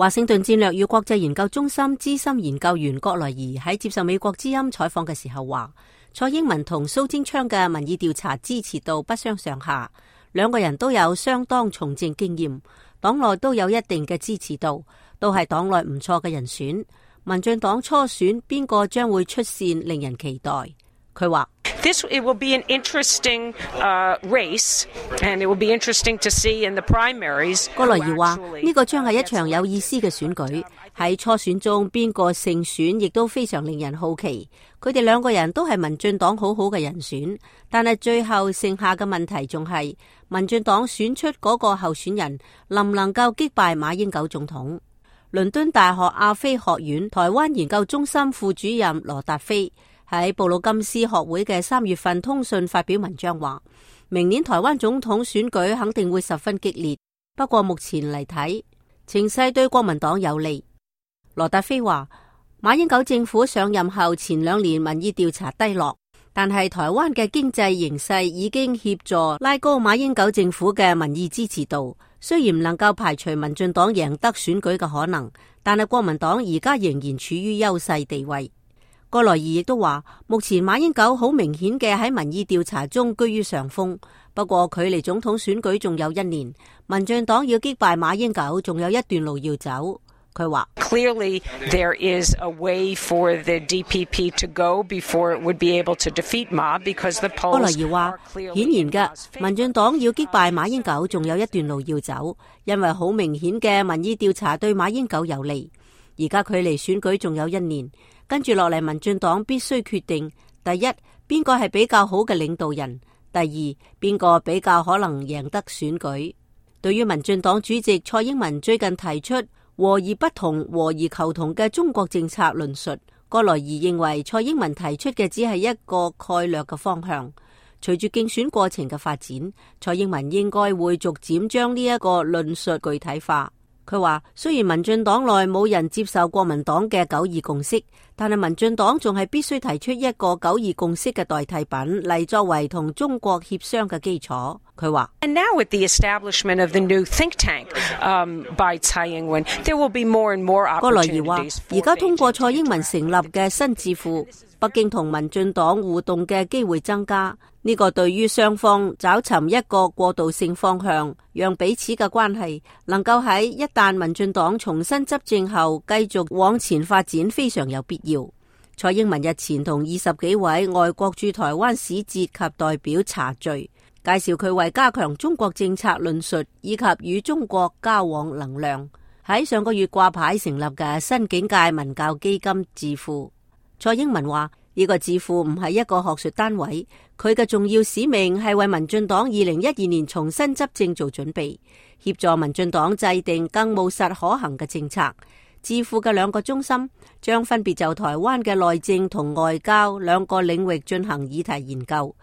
華盛頓戰略與國際研究中心資深研究員郭萊儀喺接受美國之音採訪嘅時候話，蔡英文同蘇貞昌嘅民意調查支持度不相上下，兩個人都有相當從政經驗，黨內都有一定嘅支持度，都係黨內唔錯嘅人選。民進黨初選邊個將會出線，令人期待。佢話It will be an interesting race, and it will be interesting to see in the primaries. 郭萊儀話呢個將係一場有意思嘅選舉，喺初選中邊個勝選亦都非常令人好奇。佢哋兩個人都係民進黨好好嘅人選，但係最後剩下嘅問題仲係民進黨選出嗰個候選人能唔能夠擊敗馬英九總統。倫敦大學亞非學院台灣研究中心副主任羅達飛喺布魯金斯學會嘅3月份通訊發表文章話，明年台灣總統選舉肯定會十分激烈，不過目前嚟睇，情勢對國民黨有利。羅達飛話，馬英九政府上任後前2年民意調查低落，但係台灣嘅經濟形勢已經協助拉高馬英九政府嘅民意支持度，雖然唔能夠排除民進黨贏得選舉嘅可能，但係國民黨而家仍然處於優勢地位。郭萊儀亦都話，目前馬英九好明顯嘅喺民意調查中居於上風，不過距離總統選舉仲有1年，民進黨要擊敗馬英九仲有一段路要走。佢話 Clearly, there is a way for the DPP to go before it would be able to defeat Ma because the polls 郭萊儀話，顯然嘅，民進黨要擊敗馬英九仲有一段路要走，因為好明顯嘅民意調查對馬英九有利。而家距離選舉仲有1年，跟住落嚟，民進黨必須決定：第一，邊個係比較好嘅領導人；第二，邊個比較可能贏得選舉。對於民進黨主席蔡英文最近提出和而不同、和而求同嘅中國政策論述，郭萊儀認為蔡英文提出嘅只係一個概略嘅方向。隨住競選過程嘅發展，蔡英文應該會逐漸將呢一個論述具體化。佢話，雖然民進黨內冇人接受國民黨嘅9·2共識，但係民進黨仲係必須提出一個9·2共識嘅代替品嚟作為同中國協商嘅基礎。佢話 And now with the establishment of the new think tank by Tsai Ing-wen, there will be more and more opportunities. 郭萊儀話，而家通過蔡英文成立嘅新智庫，北京同民進黨互動嘅機會增加。呢個對於雙方找尋一個過渡性方向，讓彼此嘅關係能夠喺一旦民進黨重新執政後繼續往前發展非常有必要。蔡英文日前同20幾位外國駐台灣使節及代表茶聚，介紹佢為加強中國政策論述以及與中國交往能量，喺上個月掛牌成立嘅新境界文教基金智庫。蔡英文話，呢個智庫唔係一個學術單位，佢嘅重要使命係為民進黨2012年重新執政做準備，協助民進黨制定更務實可行嘅政策。智庫嘅2個中心將分別就台灣嘅內政同外交2個領域進行議題研究，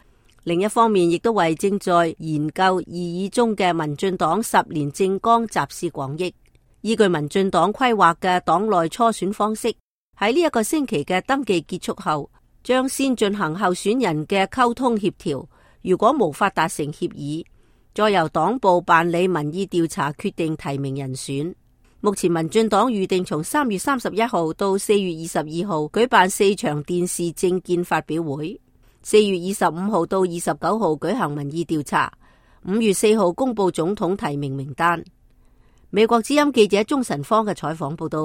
另一方面亦都為正在研究擬議中嘅民進黨10年政綱集思廣益。依據民進黨規劃嘅黨內初選方式，喺呢一個星期嘅登記結束後，將先進行候選人嘅溝通協調，如果無法達成協議，再由黨部辦理民意調查決定提名人選。目前民進黨預定從3月31號到4月22號舉辦4場電視政見發表會，4月25號到29號舉行民意調查，5月4號公布總統提名名單。美國之音記者鍾晨芳嘅採訪報道。